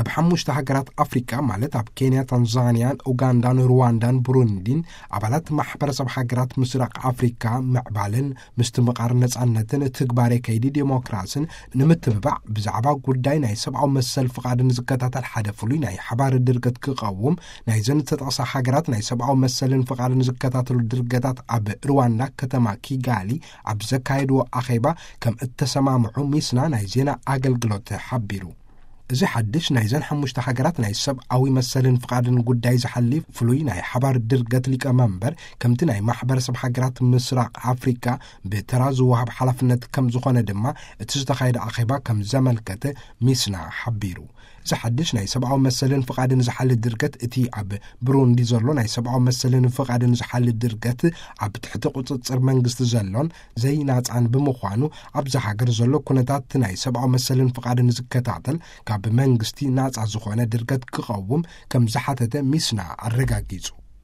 ኣብ ሓሙሽተ ሃገራት ኣፍሪቃ፣ ማለት ኣብ ኬንያ፣ ታንዛንያን፣ ኡጋንዳን፣ ሩዋንዳን ብሩንዲን፣ ኣባላት ማሕበረሰብ ሃገራት ምስራቅ ኣፍሪካ ምዕባልን ምስትምቓር ነጻነትን ትግባሬ ከይዲ ዴሞክራስን ንምትብባዕ፣ ብዛዕባ ጉዳይ ናይ ሰብኣዊ መሰል ፍቓድን ዝከታተል ሓደ ፍሉይ ናይ ሓባር ድርገት ክቐውም፣ ናይዘን ዝተጠቕሳ ሃገራት ናይ ሰብኣዊ መሰልን ፍቓድን ዝከታተሉ ድርገታት ኣብ ሩዋንዳ፣ ከተማ ኪጋሊ ኣብ ዘካየድዎ ኣኼባ ከም እተሰማምዑ ሚስና ናይ ዜና ኣገልግሎት ሓቢሩ። እዚ ሓድሽ ናይዘን ሓሙሽተ ሃገራት ናይ ሰብኣዊ መሰልን ፍቓድን ጉዳይ ዝሓሊ ፍሉይ ናይ ሓባር ድርገት ሊቀመንበር፣ ከምቲ ናይ ማሕበረሰብ ሃገራት ምስራቅ ኣፍሪካ ብተራ ዝወሃብ ሓላፍነት ከም ዝኾነ ድማ እቲ ዝተኻየደ ኣኼባ ከም ዘመልከተ ሚስና ሓቢሩ። እዚ ሓድሽ ናይ ሰብኣዊ መሰልን ፍቓድን ዝሓሊ ድርገት፣ እቲ ኣብ ብሩንዲ ዘሎ ናይ ሰብኣዊ መሰልን ፍቓድን ዝሓሊ ድርገት፣ ኣብ ትሕቲ ቁጽጽር መንግስቲ ዘሎን ዘይናጻን ብምዃኑ፣ ኣብዚ ሃገር ዘሎ ኩነታት ናይ ሰብኣዊ መሰልን ፍቓድን ዝከታተል ካብ መንግስቲ ናጻ ዝኾነ ድርገት ክቐውም ከም ዝሓተተ ሚስና ኣረጋጊጹ።